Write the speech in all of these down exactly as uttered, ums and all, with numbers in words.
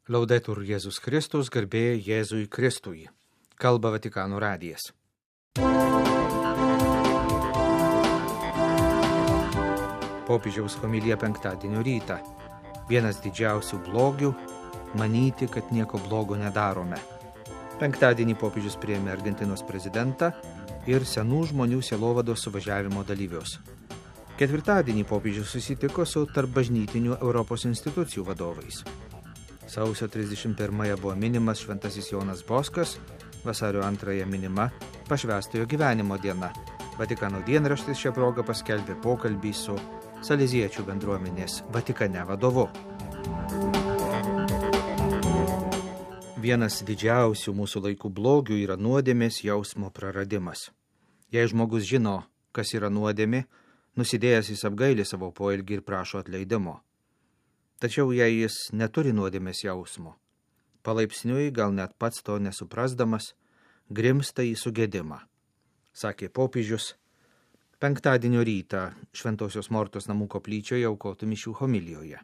Laudetur Jėzus Kristus, garbė Jėzui Kristui. Kalba Vatikano radijas. Popiežiaus homilija penktadienio rytą. Vienas didžiausių blogių – manyti, kad nieko blogo nedarome. Penktadienį popiežius priėmė Argentinos prezidentą ir senų žmonių sielovados suvažiavimo dalyvius. Ketvirtadienį popiežius susitiko su tarpbažnytinių Europos institucijų vadovais. Sausio trisdešimt pirmąją buvo minimas Šventasis Jonas Boskas, vasario antrąją minima Pašvęstojo gyvenimo diena. Vatikano dienraštis šią progą paskelbė pokalbį su saleziečių bendruomenės Vatikane vadovu. Vienas didžiausių mūsų laikų blogių yra nuodėmės jausmo praradimas. Jei žmogus žino, kas yra nuodėmė, nusidėjęs jis apgaili savo poelgį ir prašo atleidimo. Tačiau jei jis neturi nuodėmės jausmo, palaipsniui, gal net pats to nesuprasdamas, grimsta į sugėdimą, sakė popiežius penktadienio rytą Šventosios Mortos namų koplyčioje aukotų mišių homilijoje.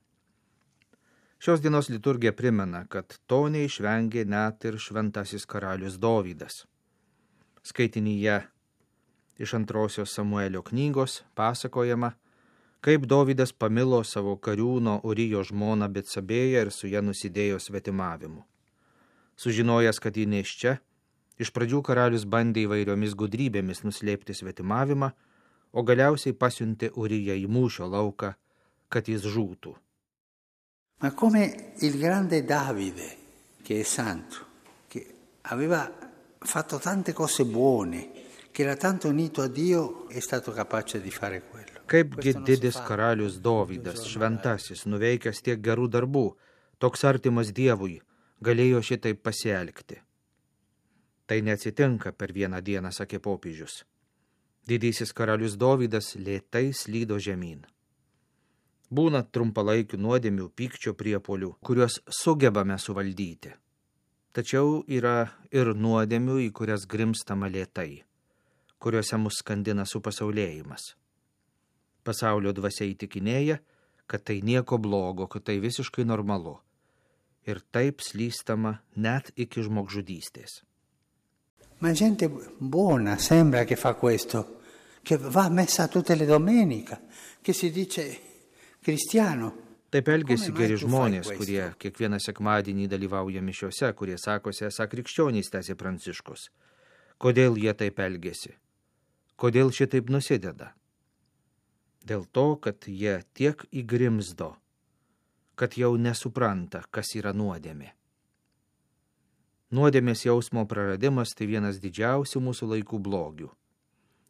Šios dienos liturgija primena, kad to neišvengė net ir šventasis karalius Dovydas. Skaitinyje iš antrosios Samuelio knygos pasakojama, kaip Dovydas pamilo savo kariūno Urijo žmoną Betsabėją ir su ja nusidėjo svetimavimu. Sužinojęs, kad ji nėščia, iš pradžių karalius bandė įvairiomis gudrybėmis nuslėpti svetimavimą, o galiausiai pasiuntė Uriją į mūšio lauką, kad jis žūtų. Ma come il grande Davide, che è santo, che aveva fatto tante cose buone, che era tanto unito a Dio, è stato capace di fare quello. Kaipgi didis karalius Dovydas, šventasis, nuveikęs tiek gerų darbų, toks artimas Dievui, galėjo šitaip pasielgti. Tai neatsitinka per vieną dieną, sakė popiežius. Didysis karalius Dovydas lėtai slydo žemyn. Būna trumpalaikių nuodėmių, pykčio priepuolių, kuriuos sugebame suvaldyti. Tačiau yra ir nuodėmių, į kurias grimstama lėtai, kuriuose mus skandina supasaulėjimas. Pasaulio dvasia įtikinėja, kad tai nieko blogo, kad tai visiškai normalu. Ir taip slystama net iki žmogžudystės. Ma gente buona sembra che fa questo, che va a messa tutte le domenica, che si dice cristiano. Taip elgiasi geri žmonės, kurie kiekvieną sekmadienį dalyvauja mišiose, kurie sakosi esą krikščionys, tęsė Pranciškus. Kodėl jie taip elgiasi? Kodėl šitaip nusideda? Dėl to, kad jie tiek įgrimzdo, kad jau nesupranta, kas yra nuodėmė. Nuodėmės jausmo praradimas tai vienas didžiausių mūsų laikų blogių.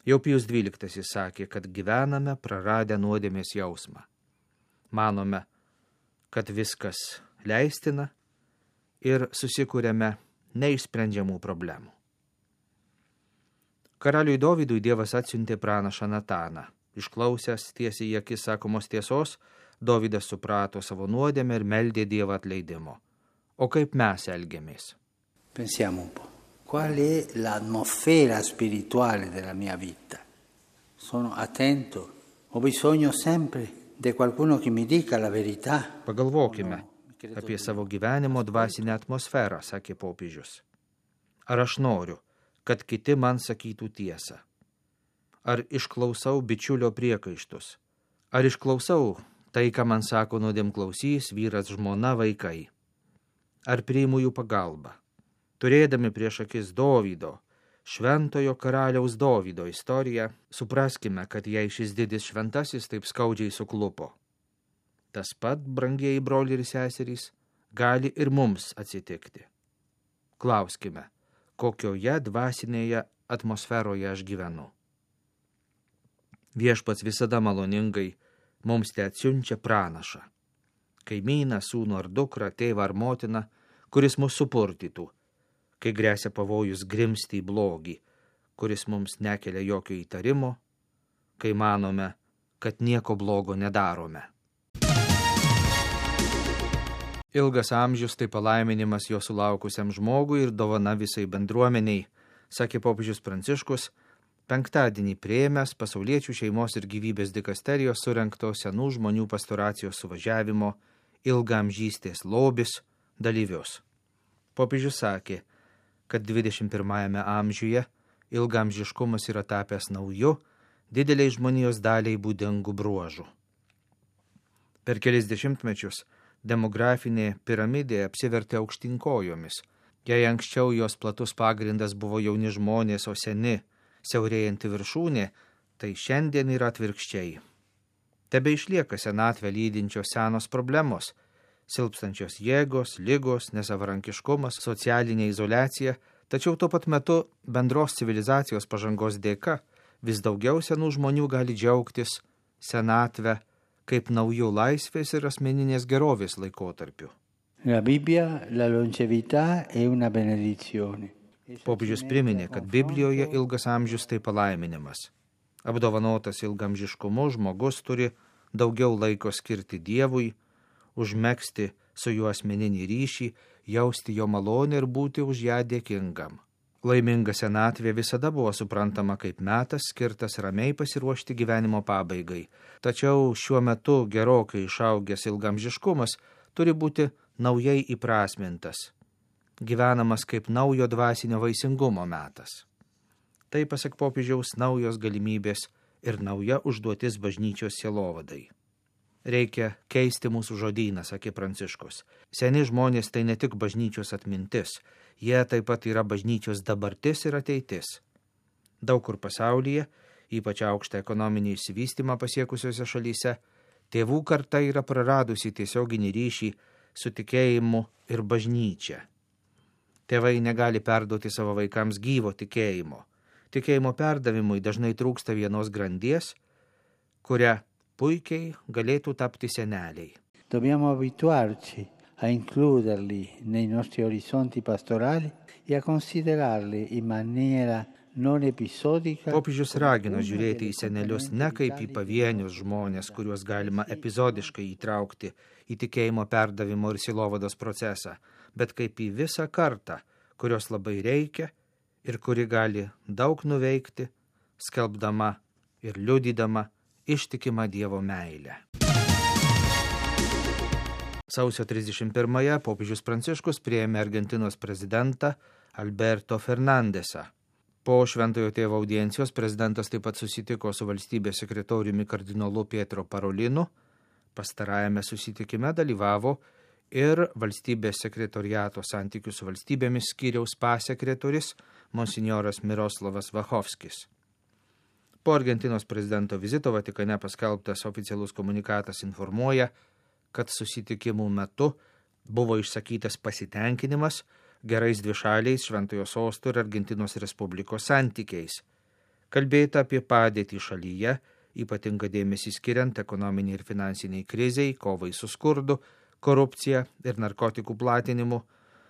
Jau Pijus dvyliktasis sakė, kad gyvename praradę nuodėmės jausmą. Manome, kad viskas leistina ir susikūrėme neišsprendžiamų problemų. Karaliui Dovydui Dievas atsiuntė pranašą Nataną. Išklausęs tiesiai į akis sakomos tiesos, Dovydas suprato savo nuodėmę ir meldė Dievą atleidimo. O kaip mes elgiamės? Pensiamo un po'. Qual è l'atmosfera spirituale della mia vita? Sono attento? Ho bisogno sempre di qualcuno che mi dica la verità? Pagalvokime apie savo gyvenimo dvasinę atmosferą, sakė popiežius. Ar aš noriu, kad kiti man sakytų tiesą? Ar išklausau bičiulio priekaištus? Ar išklausau tai, ką man sako nuodėmklausys, vyras, žmona, vaikai? Ar priimu jų pagalbą? Turėdami prieš akis Dovydo, šventojo karaliaus Dovydo istoriją, supraskime, kad jei šis didis šventasis taip skaudžiai suklupo. Tas pat, brangieji broliai ir seserys, gali ir mums atsitikti. Klauskime, kokioje dvasinėje atmosferoje aš gyvenu. Viešpats visada maloningai mums te atsiunčia pranašą, kaimyną, sūnų ar dukrą, tėvą ar motiną, kuris mus supurtytų, kai gresia pavojus grimsti į blogį, kuris mums nekelia jokio įtarimo, kai manome, kad nieko blogo nedarome. Ilgas amžius tai palaiminimas jo sulaukusiam žmogui ir dovana visai bendruomeniai, sakė popiežius Pranciškus, penktadienį priėmęs pasauliečių šeimos ir gyvybės dikasterijos surengto senų žmonių pastoracijos suvažiavimo ilgaamžystės lobis dalyvius. Popiežius sakė, kad dvidešimt pirmajame amžiuje ilgaamžiškumas yra tapęs nauju, dideliai žmonijos daliai būdingų bruožų. Per kelis dešimtmečius demografinė piramidė apsivertė aukštinkojomis. Jei anksčiau jos platus pagrindas buvo jauni žmonės, o seni, siaurėjanti viršūnė, tai šiandien yra atvirkščiai. Tebe išlieka senatvę lydinčios senos problemos – silpstančios jėgos, ligos, nesavarankiškumas, socialinė izoliacija, tačiau tuo pat metu bendros civilizacijos pažangos dėka vis daugiau senų žmonių gali džiaugtis senatvę kaip naujų laisvės ir asmeninės gerovės laikotarpiu. La Bibbia, la longevità è una benedizione. Popiežius priminė, kad Biblijoje ilgas amžius tai palaiminimas. Apdovanotas ilgamžiškumu žmogus turi daugiau laiko skirti Dievui, užmegzti su juo asmeninį ryšį, jausti jo malonę ir būti už ją dėkingam. Laiminga senatvė visada buvo suprantama kaip metas skirtas ramiai pasiruošti gyvenimo pabaigai, tačiau šiuo metu gerokai išaugęs ilgamžiškumas turi būti naujai įprasmintas, gyvenamas kaip naujo dvasinio vaisingumo metas. Tai, pasak popiežiaus, naujos galimybės ir nauja užduotis bažnyčios sielovadai. Reikia keisti mūsų žodyną, sakė Pranciškus. Seni žmonės tai ne tik bažnyčios atmintis, jie taip pat yra bažnyčios dabartis ir ateitis. Daug kur pasaulyje, ypač aukštą ekonominį išsivystymą pasiekusiuose šalyse, tėvų karta yra praradusi tiesioginį ryšį su tikėjimu ir bažnyčia. Tėvai negali perduoti savo vaikams gyvo tikėjimo. Tikėjimo perdavimui dažnai trūksta vienos grandies, kurią puikiai galėtų tapti seneliai. Dobbiamo abituarci a includerli nei nostri orizzonti pastorali e a considerarli in maniera non episodica. Popiežius ragina žiūrėti į senelius ne kaip į pavienius žmonės, kuriuos galima epizodiškai įtraukti į tikėjimo perdavimo ir sielovados procesą, bet kaip į visą kartą, kurios labai reikia ir kuri gali daug nuveikti, skelbdama ir liudydama ištikimą Dievo meilę. Sausio trisdešimt pirmąją popiežius Pranciškus priėmė Argentinos prezidentą Alberto Fernandesą. Po Šventojo Tėvo audiencijos prezidentas taip pat susitiko su valstybės sekretoriumi kardinolu Pietro Parolinu. Pastarajame susitikime dalyvavo ir valstybės sekretoriato santykių su valstybėmis skyriaus pasekretorius monsinjoras Miroslavas Vachovskis. Po Argentinos prezidento vizito Vatikane paskelbtas oficialus komunikatas informuoja, kad susitikimų metu buvo išsakytas pasitenkinimas gerais dvišaliais Šventojo Sosto ir Argentinos Respublikos santykiais. Kalbėta apie padėtį šalyje, ypatingą dėmesį skiriant ekonominiai ir finansiniai kriziai, kovai su skurdu, korupcija ir narkotikų platinimu,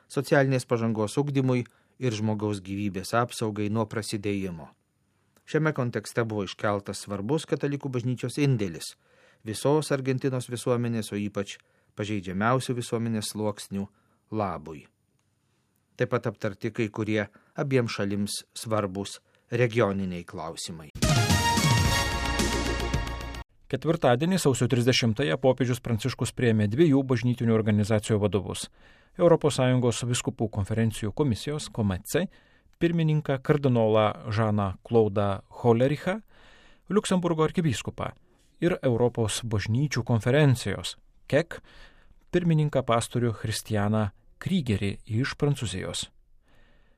socialinės pažangos ugdymui ir žmogaus gyvybės apsaugai nuo prasidėjimo. Šiame kontekste buvo iškeltas svarbus katalikų bažnyčios indėlis visos Argentinos visuomenės, o ypač pažeidžiamiausių visuomenės sluoksnių labui. Taip pat aptarti kai kurie abiem šalims svarbus regioniniai klausimai. Ketvirtadienį, sausio trisdešimtąją, popiežius Pranciškus priėmė dviejų bažnytinių organizacijų vadovus – Europos Sąjungos vyskupų konferencijų komisijos K O M C pirmininką kardinolą Žaną Klaudą Holerichą, Liuksemburgo arkivyskupą ir Europos bažnyčių konferencijos K E C pirmininką pastorių Christianą Krygerį iš Prancūzijos.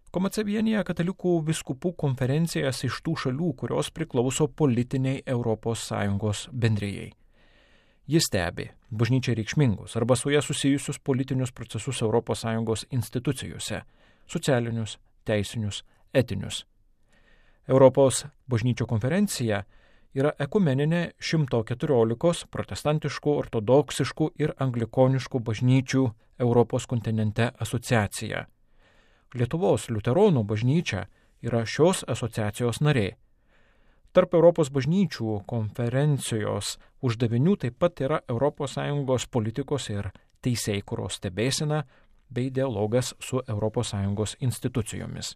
K O M C vienyje katalikų vyskupų konferencijas iš tų šalių, kurios priklauso politiniai Europos Sąjungos bendrijai. Jis stebi bažnyčiai reikšmingus arba su ją susijusius politinius procesus Europos Sąjungos institucijose – socialinius, teisinius, etinius. Europos bažnyčių konferencija yra ekumeninė šimto keturiolikos protestantiškų, ortodoksiškų ir anglikoniškų bažnyčių Europos kontinente asociacija. Lietuvos liuteronų bažnyčia yra šios asociacijos narė. Tarp Europos bažnyčių konferencijos uždavinių taip pat yra Europos Sąjungos politikos ir teisėkūros stebėsena bei dialogas su Europos Sąjungos institucijomis.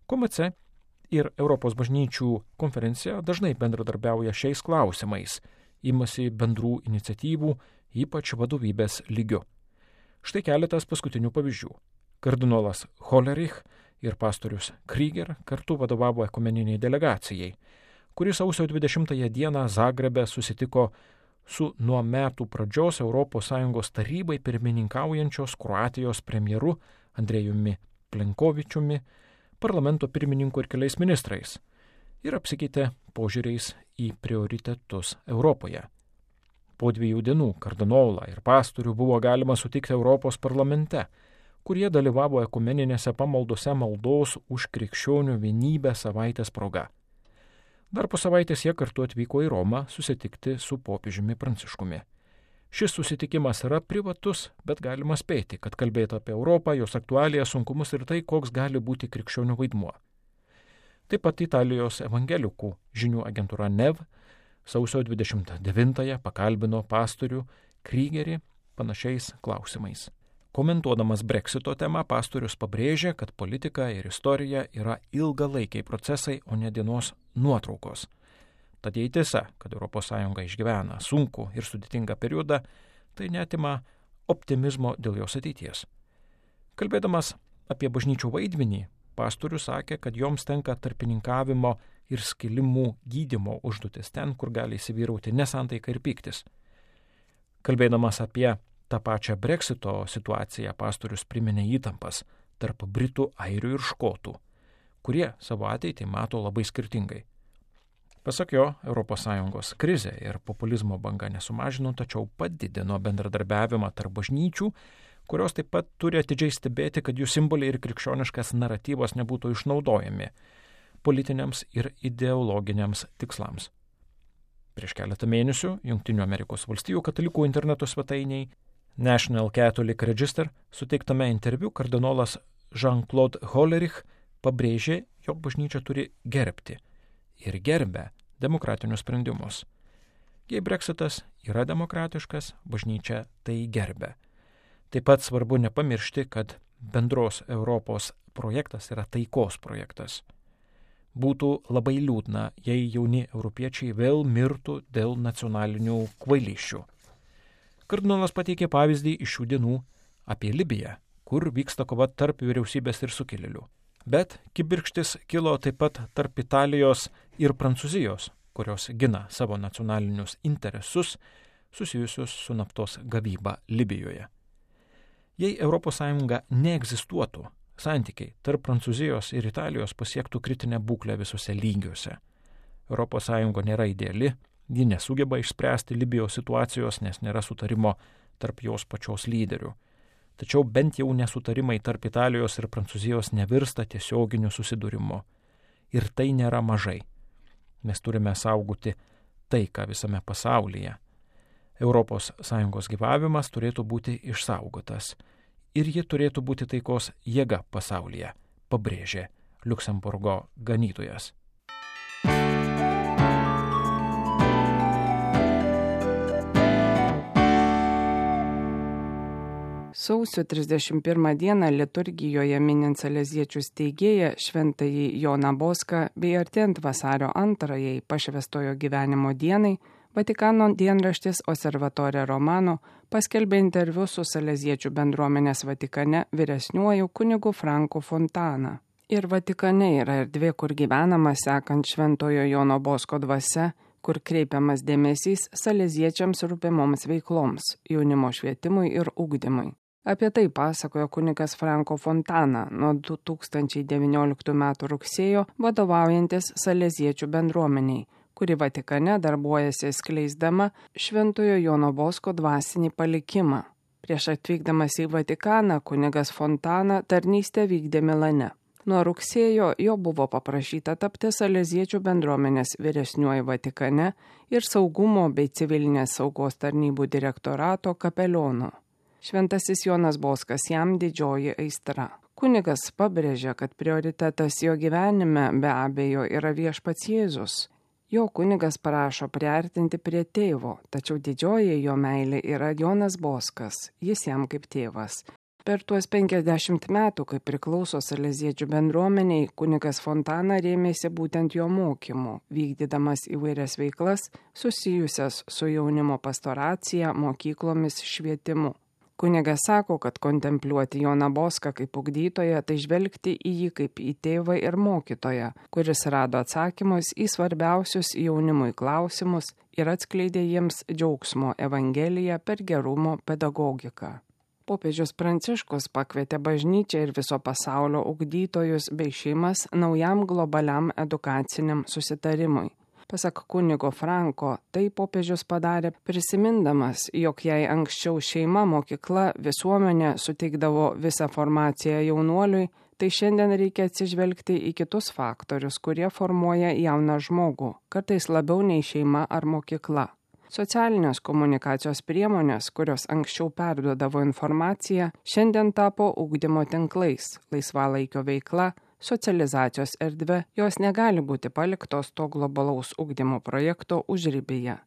K O M C ir Europos bažnyčių konferencija dažnai bendradarbiauja šiais klausimais, imasi bendrų iniciatyvų, ypač vadovybės lygiu. Štai keletas paskutinių pavyzdžių. Kardinolas Hollerich ir pastorius Krieger kartu vadovavo ekumeniniai delegacijai, kuris sausio dvidešimtąją dieną Zagrebe susitiko su nuo metų pradžios Europos Sąjungos tarybai pirmininkaujančios Kroatijos premjeru Andrejumi Plenkovičiumi, parlamento pirmininku ir keliais ministrais ir apsikeitė požiūriais į prioritetus Europoje. Po dviejų dienų kardinolą ir pastorių buvo galima sutikti Europos parlamente, kurie dalyvavo ekumeninėse pamaldose maldos už krikščionių vienybę savaitės proga. Dar po savaitės jie kartu atvyko į Romą susitikti su popiežiumi Pranciškumi. Šis susitikimas yra privatus, bet galima spėti, kad kalbėtų apie Europą, jos aktualijas, sunkumus ir tai, koks gali būti krikščionių vaidmuo. Taip pat Italijos evangelikų žinių agentūra N E V sausio dvidešimt devintąją pakalbino pastorių Kriegerį panašiais klausimais. Komentuodamas Brexito temą, pastorius pabrėžė, kad politika ir istorija yra ilgalaikiai procesai, o ne dienos nuotraukos. Tad jei tiesa, kad Europos Sąjunga išgyvena sunkų ir sudėtingą periodą, tai neatima optimizmo dėl jos ateities. Kalbėdamas apie bažnyčių vaidmenį, pastorius sakė, kad joms tenka tarpininkavimo ir skilimų gydymo užduotis ten, kur gali įsivyrauti nesantaika ir pyktis. Kalbėdamas apie tą pačią Brexito situaciją, pastorius priminė įtampas tarp Britų, Airių ir Škotų, kurie savo ateitį mato labai skirtingai. Pasak jo, Europos Sąjungos krizė ir populizmo banga nesumažino, tačiau padidino bendradarbiavimą tarp bažnyčių, kurios taip pat turi atidžiai stebėti, kad jų simboliai ir krikščioniškas naratyvas nebūtų išnaudojami politiniams ir ideologiniams tikslams. Prieš keletą mėnesių Jungtinių Amerikos valstijų katalikų interneto svetainiai National Catholic Register suteiktame interviu kardinolas Jean-Claude Hollerich pabrėžė, jog bažnyčia turi gerbti ir gerbia demokratinius sprendimus. Jei Brexitas yra demokratiškas, bažnyčia tai gerbia. Taip pat svarbu nepamiršti, kad bendros Europos projektas yra taikos projektas. Būtų labai liūdna, jei jauni europiečiai vėl mirtų dėl nacionalinių kvailysčių. Kardinolas pateikė pavyzdį iš šių dienų apie Libiją, kur vyksta kova tarp vyriausybės ir sukilėlių. Bet kibirkštis kilo taip pat tarp Italijos ir Prancūzijos, kurios gina savo nacionalinius interesus susijusius su naftos gavyba Libijoje. Jei Europos Sąjunga neegzistuotų, santykiai tarp Prancūzijos ir Italijos pasiektų kritinę būklę visose lygiuose. Europos Sąjunga nėra ideali, ji nesugeba išspręsti Libijos situacijos, nes nėra sutarimo tarp jos pačios lyderių. Tačiau bent jau nesutarimai tarp Italijos ir Prancūzijos nevirsta tiesioginiu susidūrimu. Ir tai nėra mažai. Mes turime saugoti taiką visame pasaulyje. Europos Sąjungos gyvavimas turėtų būti išsaugotas. Ir ji turėtų būti taikos jėga pasaulyje, pabrėžė Liuksemburgo ganytojas. Sausio trisdešimt pirmą dieną liturgijoje minint saleziečių steigėją šventąjį Joną Boską bei artėjant vasario antrajai pašvęstojo gyvenimo dienai, Vatikano dienraštis Osservatore Romano paskelbė interviu su saleziečių bendruomenės Vatikane vyresniuoju kunigu Franku Fontana. Ir Vatikane yra erdvė, kur gyvenama sekant šventojo Jono Bosko dvasia, kur kreipiamas dėmesys saleziečiams rūpimoms veikloms, jaunimo švietimui ir ugdymui. Apie tai pasakojo kunigas Franco Fontana nuo du tūkstančiai devynioliktų metų rugsėjo vadovaujantis saleziečių bendruomeniai, kuri Vatikane darbuojasi skleisdama šventojo Jono Bosko dvasinį palikimą. Prieš atvykdamas į Vatikaną kunigas Fontana tarnystę vykdė Milane. Nuo rugsėjo jo buvo paprašyta tapti saleziečių bendruomenės vyresniuoju Vatikane ir saugumo bei civilinės saugos tarnybų direktorato kapelionu. Šventasis Jonas Boskas jam didžioji aistra. Kunigas pabrėžia, kad prioritetas jo gyvenime be abejo yra viešpats Jėzus. Jo kunigas prašo priartinti prie tėvo, tačiau didžioji jo meilė yra Jonas Boskas, jis jam kaip tėvas. Per tuos penkiasdešimt metų, kai priklauso saleziečių bendruomeniai, kunigas Fontana rėmėsi būtent jo mokymu, vykdydamas įvairias veiklas susijusias su jaunimo pastoracija, mokyklomis, švietimu. Kunigas sako, kad kontempliuoti Joną Boską kaip ugdytoją, tai žvelgti į jį kaip į tėvą ir mokytoją, kuris rado atsakymus į svarbiausius jaunimui klausimus ir atskleidė jiems džiaugsmo evangeliją per gerumo pedagogiką. Popiežius Pranciškus pakvietė bažnyčią ir viso pasaulio ugdytojus bei šeimas naujam globaliam edukaciniam susitarimui. Pasak kunigo Franko, tai popiežius padarė prisimindamas, jog jei anksčiau šeima, mokykla, visuomenė suteikdavo visą formaciją jaunuoliui, tai šiandien reikia atsižvelgti į kitus faktorius, kurie formuoja jauną žmogų, kartais labiau nei šeima ar mokykla. Socialinės komunikacijos priemonės, kurios anksčiau perduodavo informaciją, šiandien tapo ugdymo tinklais, laisvalaikio veikla, socializacijos erdvė, jos negali būti paliktos to globalaus ugdymo projekto užribyje.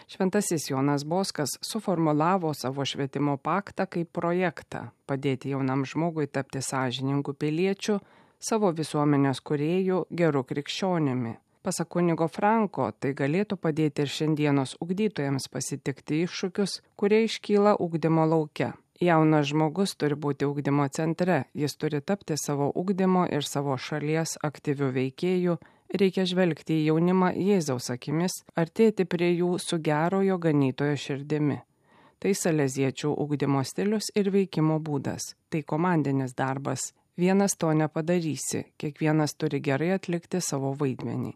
Šventasis Jonas Boskas suformulavo savo švietimo paktą kaip projektą padėti jaunam žmogui tapti sąžiningų piliečių, savo visuomenės kūrėjų, gerų krikščionimi. Pasak kunigo Franko, tai galėtų padėti ir šiandienos ugdytojams pasitikti iššūkius, kurie iškyla ugdymo lauke. Jaunas žmogus turi būti ugdymo centre, jis turi tapti savo ugdymo ir savo šalies aktyvių veikėjų, reikia žvelgti į jaunimą Jėzaus akimis, artėti prie jų su gerojo ganytojo širdimi. Tai saleziečių ugdymo stilius ir veikimo būdas, tai komandinis darbas. Vienas to nepadarysi, kiekvienas turi gerai atlikti savo vaidmenį.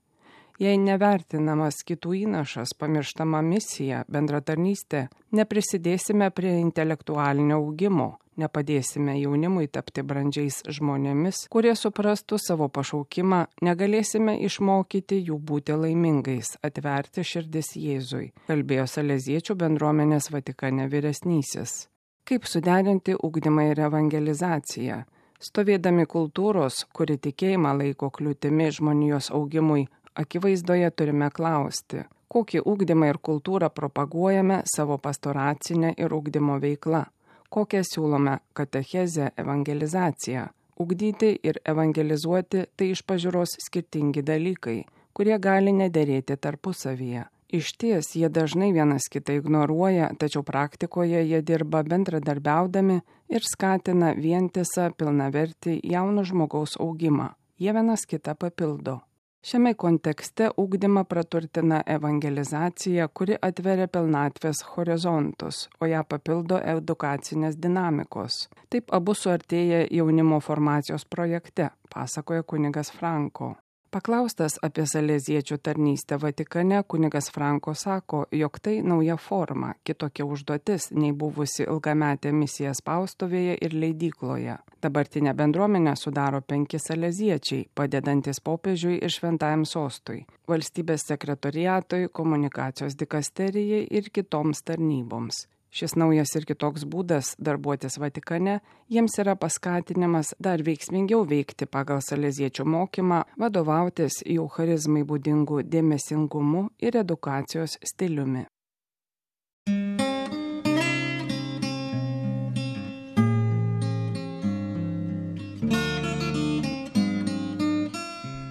Jei nevertinamas kitų įnašas, pamirštama misija, bendratarnystė, neprisidėsime prie intelektualinio augimo, nepadėsime jaunimui tapti brandžiais žmonėmis, kurie suprastų savo pašaukimą, negalėsime išmokyti jų būti laimingais, atverti širdis Jėzui, kalbėjo saleziečių bendruomenės Vatikane vyresnysis. Kaip suderinti ugdymą ir evangelizaciją? Stovėdami kultūros, kuri tikėjimą laiko kliūtimi žmonijos augimui, akivaizdoje turime klausti, kokį ugdymą ir kultūrą propaguojame savo pastoracinę ir ugdymo veiklą, kokią siūlome katechezę, evangelizaciją. Ugdyti ir evangelizuoti tai iš pažiūros skirtingi dalykai, kurie gali nederėti tarpusavyje. Išties, jie dažnai vienas kitą ignoruoja, tačiau praktikoje jie dirba bendradarbiaudami ir skatina vientisą, pilnavertį jauno žmogaus augimą. Jie vienas kitą papildo. Šiame kontekste ugdymą praturtina evangelizacija, kuri atveria pilnatvės horizontus, o ją papildo edukacinės dinamikos. Taip abu suartėja jaunimo formacijos projekte, pasakoja kunigas Franko. Paklaustas apie saleziečių tarnystę Vatikane, kunigas Franko sako, jog tai nauja forma, kitokia užduotis nei buvusi ilgametė misija spaustuvėje ir leidykloje. Dabartinę bendruomenę sudaro penki saleziečiai, padedantis popiežiui ir šventajam sostui, valstybės sekretoriatui, komunikacijos dikasterijai ir kitoms tarnyboms. Šis naujas ir kitoks būdas darbuotis Vatikane jiems yra paskatinimas dar veiksmingiau veikti pagal saleziečių mokymą, vadovautis jų charizmai būdingų dėmesingumu ir edukacijos stiliumi.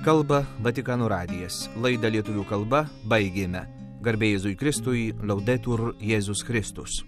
Kalba Vatikano radijas. Laidą lietuvių kalba baigėme. Garbė Jėzui Kristui, Laudetur Jėzus Kristus.